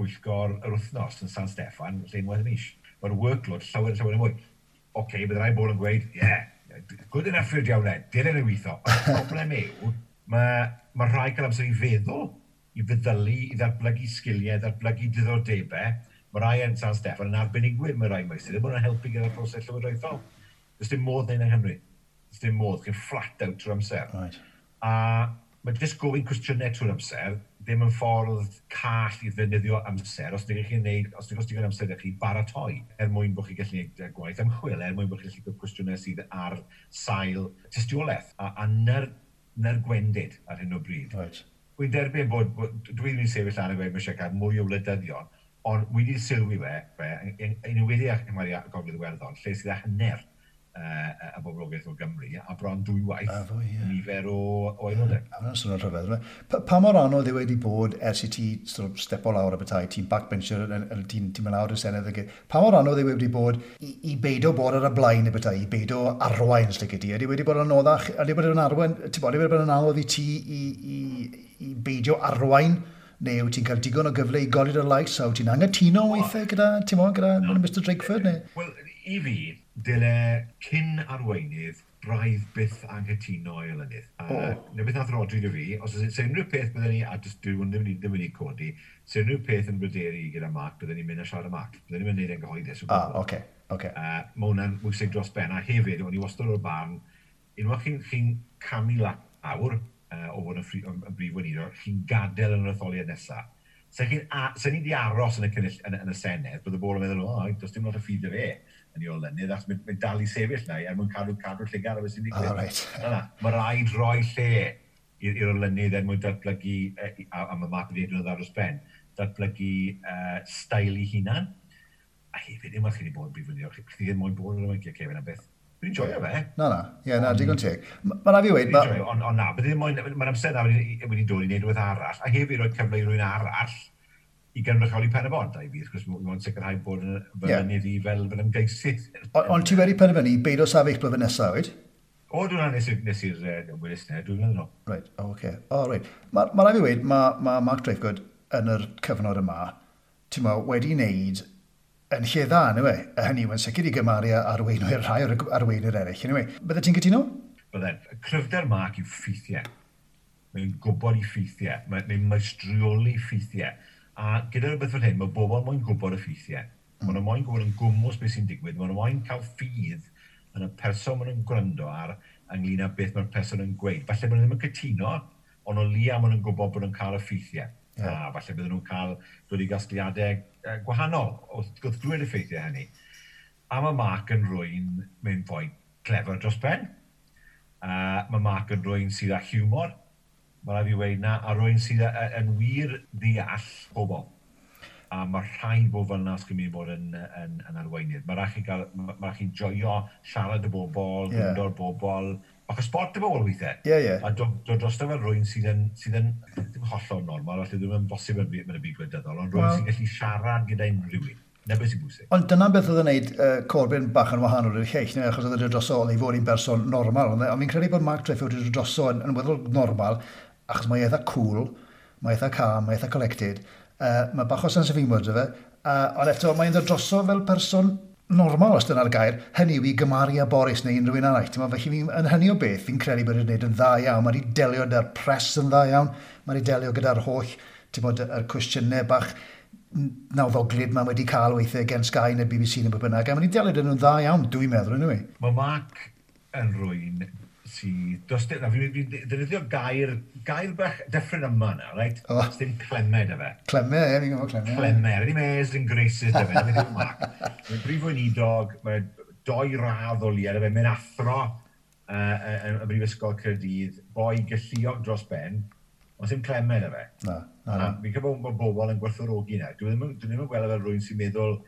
bwyllgor yr wythnos yn San Steffan, lle unwaith y mis. Mae'r workload llawer, llawer mwy. Oce, okay, bydd rai bobl yn gweud, yeah, good enough i'r diawle, dylen nhw weithio. Ond y problem yw, mae, mae rhai cael amser i feddwl, i feddylu, i ddatblygu sgiliau, ddatblygu diddordebau. Mae rai yn San Steffan yn arbenigwyr mewn rai meysydd, ddim yn helpu gyda'r proses llywodraethol. Does dim modd neud yng Nghymru. Does dim modd, chi'n flat out trwy'r amser. Right. A mae jyst gofyn cwestiynau trwy'r amser, ddim yn ffordd call i ddefnyddio amser, os ydych chi'n neud, os ydych chi'n amser ydych chi baratoi, er mwyn bod chi'n gallu gwneud gwaith ymchwil, er mwyn bod chi'n gallu gwneud cwestiynau sydd ar sail tystiolaeth, a, a nyr, nyr gwendid ar hyn o bryd. Right. Wy'n derbyn bod, bod dwi ddim yn sefyll lan a gweud mae eisiau cael mwy o wleidyddion, ond wedi sylwi fe, fe yn enwedig yng Nghymru a Gogledd Iwerddon, lle sydd â hanner uh, y boblogaeth o Gymru, a bron dwywaith A fwy, ie. nifer o, o aelodau. A hwnna'n swnio'n rhyfedd. yfe? Pa, pa mor anodd yw wedi bod ers i ti sort of stepo lawr y bethau, ti'n backbencher, yn- yn- ti'n ti mynd lawr y Senedd, ag- pa mor anodd yw wedi bod i, i beido bod ar y blaen y bethau, i beido arwain, os lici di? Ydy wedi bod yn anoddach, ydy wedi bod yn arwain, ti'n bod, ydy wedi bod yn anodd i ti i, i, i beidio arwain, neu wyt ti'n cael digon o gyfle i godi dy lais, a wyt ti'n anghytuno weithiau gyda, ti'n bod, gyda no. Mister Drakeford, neu? Wel, i fi, dyle cyn arweinydd braidd byth anghytuno i olynydd. A O. na beth nath Rhodri 'da fi, os oes unrhyw peth bydden ni, a jyst dwi ddim wedi ddim wedi codi, se unrhyw peth yn bryderu gyda Mark, bydden ni'n mynd a siarad â Mark. Bydden ni'n mynd i wneud e'n gyhoeddus. O Ah, gwbl. oce, oce. Uh, mae hwnna'n bwysig dros ben, a hefyd, o'n i wastad o'r barn, unwaith chi'n chi camu lawr uh, o fod yn, ffri, yn, yn brif weinidog, chi'n gadael yn yr etholiad nesaf. Se, chi'n a, se ni wedi aros yn y, cynnull, yn, yn y Senedd, bydde bobl yn meddwl, o, does dim lot o ffydd 'da fe yn ei olynydd, achos mae'n mae dal i sefyll na er mwyn cadw, cadw llygad ar beth sy'n digwydd. Ah, reit. Na, na, mae rhaid rhoi lle i'r i'r olynydd er mwyn datblygu, eh, a, a mae Mark wedi edrych yn dda dros ben, datblygu uh, steil ei hunan. A hefyd, unwaith chi wedi bod yn brif weinidog, chi chi ddim moyn bod yn y Kevin am beth. Dwi'n joio fe. Na, na, ie, na, digon teg. Mae rhaid fi weud, Dwi'n ma, joio, ond on na, bydde ddim moyn, mae'r amser na wedi, wedi dod i wneud rhywbeth arall, a hefyd rhoi cyfle i rywun arall i gynrychioli Pen y Bont, a i fi, wrth gwrs, mae'n sicrhau bod yn fy Ie. mynydd i fel, fel ymgeisydd. Ond on ti wedi penderfynu beidio sefyll blwyddyn nesaf, wyt? O, dwi'n nes i'r nes i'r uh, weles na, dwi'n meddwl. Reit, o, oce. O, reit. Mae ma rhaid fi weud, mae ma Mark Drakeford yn yr cyfnod yma, ti'n mo, wedi wneud yn lle dda, anyway. A hynny yw, yn sicr i gymaru â arweinwyr rhai o'r arweinwyr eraill, anyway. Bydde ti'n cytuno? Bydden, cryfder Mark yw ffeithiau. Mae'n gwybod i ffeithiau. Mae'n mae maestrioli ffeithiau. A gyda rhywbeth fel hyn, mae bobl moyn gwybod y ffeithiau. Mm. Maen nhw moyn gwybod yn gwmws beth sy'n digwydd. Maen nhw moyn cael ffydd yn y person maen nhw'n gwrando ar ynglyn â beth mae'r person yn gweud. Falle maen nhw ddim yn cytuno, ond o leia maen nhw'n gwybod bod nhw'n cael y ffeithiau. Ie. A falle bydden nhw'n cael dod i gasgliadau eh, gwahanol wrth wrth glywed y ffeithiau hynny. A mae Mark yn rywun mae'n fwy clefer dros ben. Uh, mae Mark yn rywun sydd â hiwmor, mae rhaid fi weud na, a rywun sydd â, yn wir ddeall pobl. A mae rhaid bod fel yna os chi'n mynd i bod yn, yn, yn arweinydd. Mae rhaid chi gael, mae rhaid chi'n joio siarad y bobl, Ie. gwrando'r bobl, bach o sport y bobl weithiau. Ie, ie. A dod, dod drosto fel rywun sydd yn, sydd yn ddim hollol normal, falle ddim yn bosib yn, byd- yn y byd gwleidyddol, ond rywun Wel. sy'n gallu siarad gyda unrhyw un. Na beth sy'n bwysig. Ond dyna beth oedd yn gwneud uh, Corbyn bach yn wahanol i'r lleill, neu achos oedd wedi dod droso oedd ei fod i'n berson normal. Ond ond fi'n credu bod Mark Drakeford wedi dod droso yn, yn weddol normal, achos mae eitha cool, mae eitha calm, mae eitha collected, uh, mae bach o sense of humour 'da fe, uh, ond eto mae'n dod droso fel person normal, os dyna'r gair, hynny yw i gymaru â Boris neu unrhyw un arall. Ti'n meddwl, felly fi'n, yn hynny o beth, fi'n credu bod wedi gwneud yn dda iawn. Mae wedi delio gyda'r press yn dda iawn, mae wedi delio gyda'r holl, ti'n bod, yr cwestiynau bach nawddoglyd mae wedi cael weithiau gen Sky neu B B C neu beth bynnag, a mae wedi delio gyda nhw'n dda iawn, dwi'n meddwl, anyway. Mae Mark yn rywun sydd... Does dim... Na, fi'n fi ddefnyddio gair, gair bach dyffryn yma na, right? O. Does dim cleme 'da fe. Cleme, ie, fi'n gwybod cleme. Cleme, ddim airs and graces 'da fe. Na beth yw Mark. Mae'n brif weinidog, mae doi radd o leia 'da fe, mae'n athro uh, yn y Brifysgol Caerdydd, boi galluog dros ben, ond dim cleme 'da fe. Na, na, na. A fi'n credu bod bobl yn gwerthfawrogi 'na. Dwi ddim, yn- dwi ddim yn gweld e fel rhywun sy'n meddwl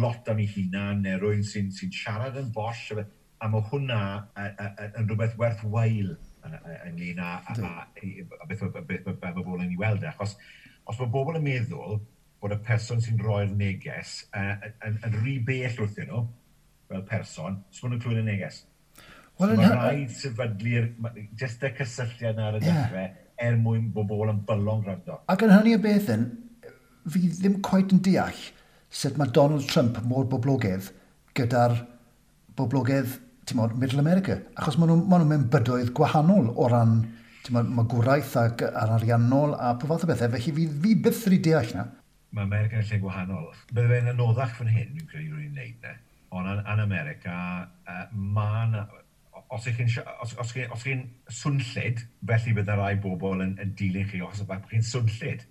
lot am ei hunan, neu rhywun sy'n sy siarad yn bosh. A fe- a mae hwnna y- y- y- yn rhywbeth werth wael ynglyn â, a, a, a, beth, beth, beth, beth mae bobl yn ei weld e. Achos os mae bobl yn meddwl bod y person sy'n rhoi'r neges uh, yn, yn rhy bell wrthyn nhw, fel person, so maen nhw'n clywed y neges. Wel, So yn mae hy- rhaid sefydlu'r, ma- jyst y cysylltiad yna ar y Ie. dechrau, er mwyn bod bobl yn bylon gwrando. Ac yn hynny o beth yn, fi ddim quite yn deall sut mae Donald Trump mor boblogaidd gyda'r boblogaidd, ti'n modd, Middle America. Achos maen nhw'n ma nhw mewn bydoedd gwahanol o ran, ti'n modd, magwraeth ac ar ariannol a pob fath o bethau. Felly fi, fi byth wedi deall na. Mae America yn lle gwahanol. Bydde fe'n anoddach fan hyn, fi'n credu rwy'n neud ne. Ond yn, yn America, uh, ma' 'na, os ych chi'n os, os chi'n os chi'n swnllyd, felly bydde rai bobl yn, yn dilyn chi os bod chi'n swnllyd.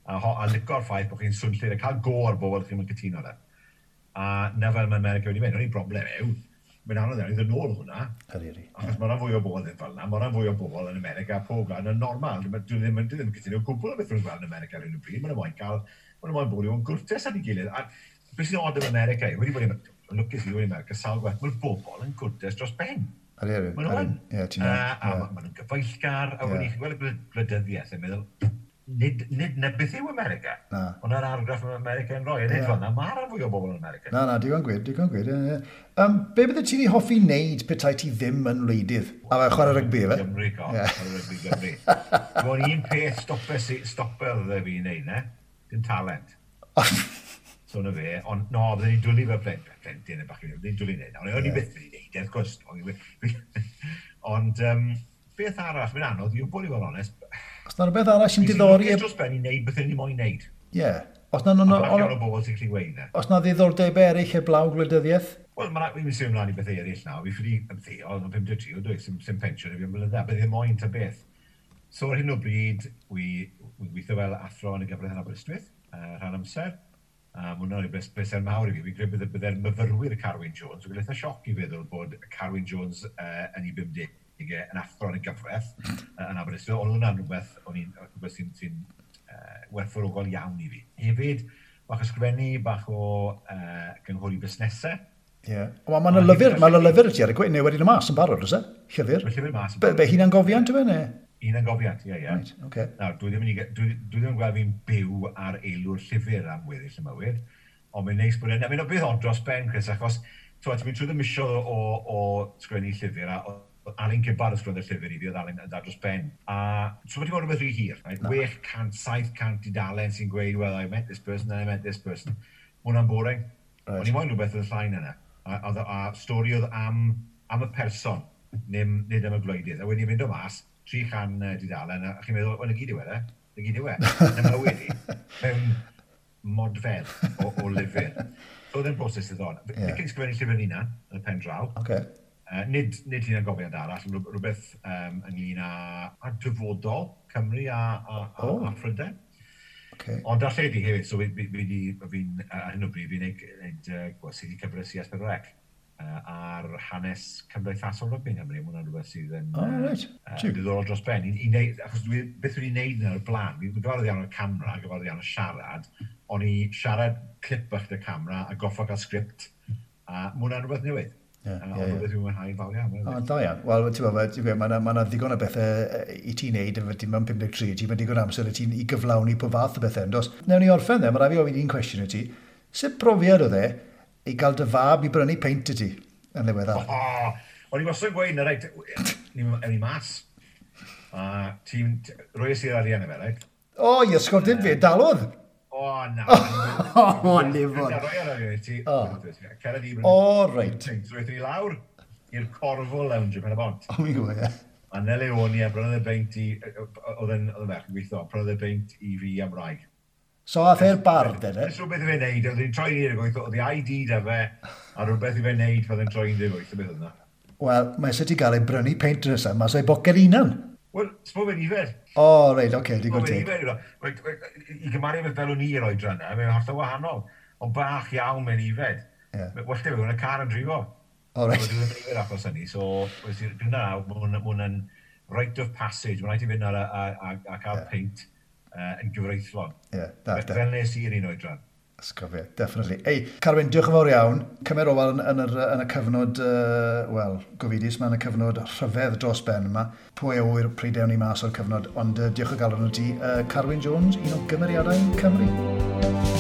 A, ho, a lico'r ffaith bod chi'n swnllyd a cael go ar bobl chi'n mynd cytuno 'da. A na fel mae America wedi mynd, ond un broblem yw, mae'n anodd iawn i ddod nôl hwnna. Ydy, ydy. Achos mae rhan fwy o bobl ddim fel yna, mae rhan fwy o bobl yn America, pob gwlad yn normal. Dwi ddim, dwi ddim yn cytuno o gwbl o beth nhw'n gweld yn America ar hyn o bryd. Maen nhw moyn cael, maen nhw moyn bod yn gwrtes at ei gilydd. A beth sy'n od yn America yw, wedi bod yn Lwcus i ddweud America, sawl gwaith, mae'r bobl yn gwrdes dros ben. Ydy, Maen nhw yn. Ie, ti'n iawn. A maen nhw'n gyfeillgar, a wedyn chi'n gweld y gwleidyddiaeth yn meddwl, nid, nid na beth yw America. Na. Ond yr argraff mae America yn rhoi, a nid Ie. fel yna, mae rhan fwy o bobl yn America. Na, na, digon gwir, digon gwir. Ie, ie. Um, be bydde ti'n ei hoffi wneud petai ti ddim yn wleidydd? A fe chwarae rygbi, efe? Gymru, go. Ie. Chwarae rygbi Gymru. Dwi'n un peth stopes i, stopel dde fi i wneud, ne? Dim talent. So na fe, ond no, bydden ni'n dwlu fel plentyn, plentyn yn bach, bydden ni'n dwlu wneud. Ond o'n i byth wedi wneud e, wrth gwrs. O'n i- Ond um, beth arall, mae'n anodd i wybod i fod yn onest. Os na rhywbeth arall sy'n diddori... Dros ben i wneud beth o'n i moyn wneud. Ie. Os na, no, no, Bach iawn no, o bobl sy'n gallu gweud e. os na ddiddordebau eraill heblaw gwleidyddiaeth? Wel, mae'n fi'n symud ymlaen i bethau eraill nawr. Fi ffili ymddeol, yn pum deg tri o dwi, sy'n sy pensiwn i fi am blynydde, beth ddim moyn ta beth. So ar hyn o bryd, wi, wi'n gweithio fel athro yn y gyfraith yn Aberystwyth, uh, rhan amser. A mae hwnna'n rhywbeth bleser mawr i fi. Fi'n credu bydde bydde'r myfyrwyr Carwyn Jones, dwi'n eitha sioc i feddwl bod Carwyn Jones uh, yn ei bumdegau yn athro yn y gyfraith uh, yn Aberystwyth, ond hwnna'n rhywbeth, o'n i'n rhywbeth sy'n sy uh, werthfawrogol iawn i fi. Hefyd, bach o sgrifennu, bach o uh, gynghori busnesau. Ie. Yeah. Wel, mae'n lyfr, mae'n lyfr i ti ar y gwe, neu wedi mas yn barod, oes e? Llyfr. Mae llyfr mas yn Be, be hunan-gofiant yw e, neu? Hunan-gofiant, ie, ie. Right, oce. Nawr, dwi ddim, yn, i- dwi, dwi ddim yn gweld fi'n byw ar eilw'r llyfr am weddill y mywyd, ond mae'n neis bod e'n... Mae'n beth od dros ben, Chris, achos ti'n ti'n mynd trwy y misoedd o, o, o sgwennu llyfr, a o- Alun Gibbard ysgrifennu'r llyfr i fi, oedd Alun yn dda dros ben. A so wedi bod rhywbeth rhy hir, right? chwe chant, saith cant dudalen sy'n gweud, "Well, I met this person, and I met this person." Ma' hwnna'n boring. Right. O'n i moyn rhywbeth yn llai na 'na. A, a, a stori oedd am, am y person, nim, nid am y gwleidydd. A wedi mynd o mas, tri chan uh, dudalen, a chi'n meddwl, wel, 'na gyd yw e, 'na gyd yw e. 'Na mywyd i, mewn modfedd o, o lyfr. So oedd e'n broses ddiddorol. Ie. Yeah. Fi'n ysgrifennu llyfr hunan, yn y pen draw. Oce. Uh, nid, nid hunan-gofiant arall, ond rhywbeth um, ynglyn â, â dyfodol Cymru a, a, a, Oh. a Phrydain. Oce. Ond darlledu hefyd, so fi, fi, fi, di, fi'n, ar hyn o bryd, fi'n neud, neud uh, gwasanaethu cyfres i S pedwar C uh, ar hanes cymdeithasol rygbi yng Nghymru. Mae hwnna'n rhywbeth sydd yn Oh, reit. uh, Jiw. diddorol dros ben. I, i neud, achos dwi, beth dwi'n neud yn o'r blaen, fi'n gyfarwydd iawn o'r camera, gyfarwydd iawn o siarad, ond i siarad clip bach 'da camera a goffo cael sgript, a mae hwnna'n rhywbeth newydd. Ie, Uh, ie, ond ie. rhywbeth dwi'n mwynhau fawr iawn. O, da iawn. Wel, ti'n gwybod, ti'n gwybod, mae yna ma ddigon o bethau yy, i ti wneud efo ti mewn pum deg tri, ti'n mewn digon amser i ti'n i gyflawni pob fath o bethau, yndos? Newn ni orffen dde, mae rhaid fi ofyn un cwestiwn i ti. Sut brofiad oedd e i gael dy fab i brynu peint i ti yn ddiweddar? O, o'n i wastad yn gweud na, reit, ni'n ni mas. A ti'n, roes i'r arian i fe, reit? O, i ysgol dim fe, dalodd! O, na. O, nifod. Na, roi ar arian i ti. O. Cera di. O, reit. So, aethon ni lawr i'r Corvo Lounge yn Pen y Bont. O, mi'n gwybod, ie. A Nele Oni, a brynodd e beint i, oedd yn, oedd yn ferch yn gweithio, brynodd e beint i fi am wraig. So, ath e'r bar, de, de? Jyst rhywbeth i fe wneud, oedd hi'n troi un deg wyth, oedd ei I D da fe, a rhywbeth i fe wneud pan oedd e'n troi un deg wyth, beth oedd yna. Wel, mae sut i gael ei brynu peint nesaf, mas o'i boced hunan. Wel, sbo fe'n ifed. O, reit, oce, okay, digon teg. I gymharu efo fel o'n i yr oedran yna, mae'n hollol wahanol. Ond bach iawn mewn ifed. Ie. Well da fe, yn y car yn drifo. O, reit. Dwi ddim yn ifed achos hynny, so dwi'n na, mae hwnna'n rite of passage. Mae'n rhaid i fynd ar a, a, a, a cael yeah. peint uh, yn gyfreithlon. Ie, da, da. Fel nes i'r un oedran. Ysgofio, definitely. Ei, Carwyn, diolch yn fawr iawn. Cymer ofal yn, yn, yr, yn y cyfnod, uh, wel, gofidus, mae yn y cyfnod rhyfedd dros ben yma. Pwy a ŵyr pryd ewn ni mas o'r cyfnod, ond uh, diolch o galon i ti. Uh, Carwyn Jones, un o gymeriadau Cymru.